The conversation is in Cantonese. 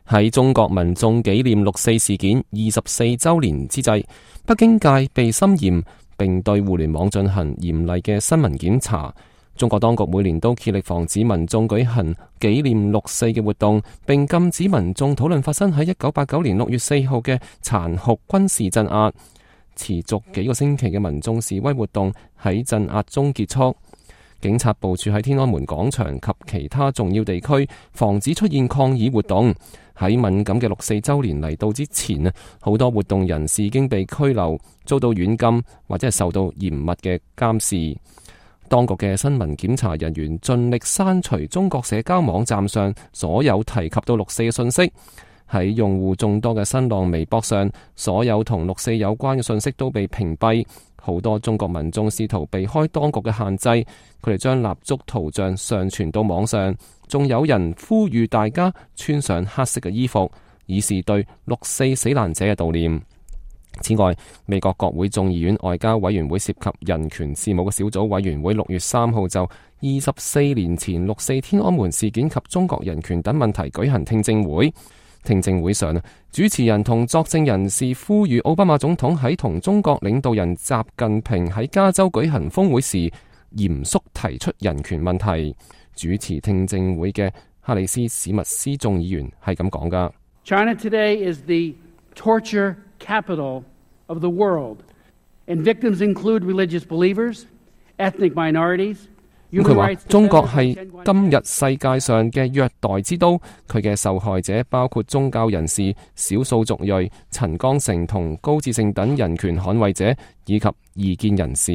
喺中國民眾紀念六四事件24週年之際，北京戒備森嚴，並對互聯網進行嚴厲嘅新聞檢查。中國當局每年都竭力防止民眾舉行紀念六四嘅活動，並禁止民眾討論發生喺1989年6月4號嘅殘酷軍事鎮壓。持續幾個星期嘅民眾示威活動喺鎮壓中結束。警察部署喺天安門廣場及其他重要地區，防止出現抗議活動。喺敏感嘅六四週年嚟到之前啊，好多活動人士已經被拘留，遭到軟禁或者係受到嚴密嘅監視。當局嘅新聞檢查人員盡力刪除中國社交網站上所有提及到六四嘅信息。喺用戶眾多嘅新浪微博上，所有同六四有關嘅信息都被屏蔽。好多中國民眾試圖避開當局嘅限制，佢哋將蠟燭圖像上傳到網上，仲有人呼籲大家穿上黑色嘅衣服，以示對六四死難者嘅悼念。此外，美國國會眾議院外交委員會涉及人權事務嘅小組委員會6月3號就24年前六四天安門事件及中國人權等問題舉行聽證會。聽證會上，主持人同作證人士呼籲奧巴馬總統喺同中國領導人習近平喺加州舉行峰會時，嚴肅提出人權問題。主持聽證會嘅哈里斯史密斯眾議員係咁講㗎。China today is the torture capital of the world, and victims include religious believers, ethnic minorities. 佢話中國係今日世界上嘅虐待之都，佢嘅受害者包括宗教人士、少數族裔、陳光誠同高志勝等人權捍衛者以及異見人士。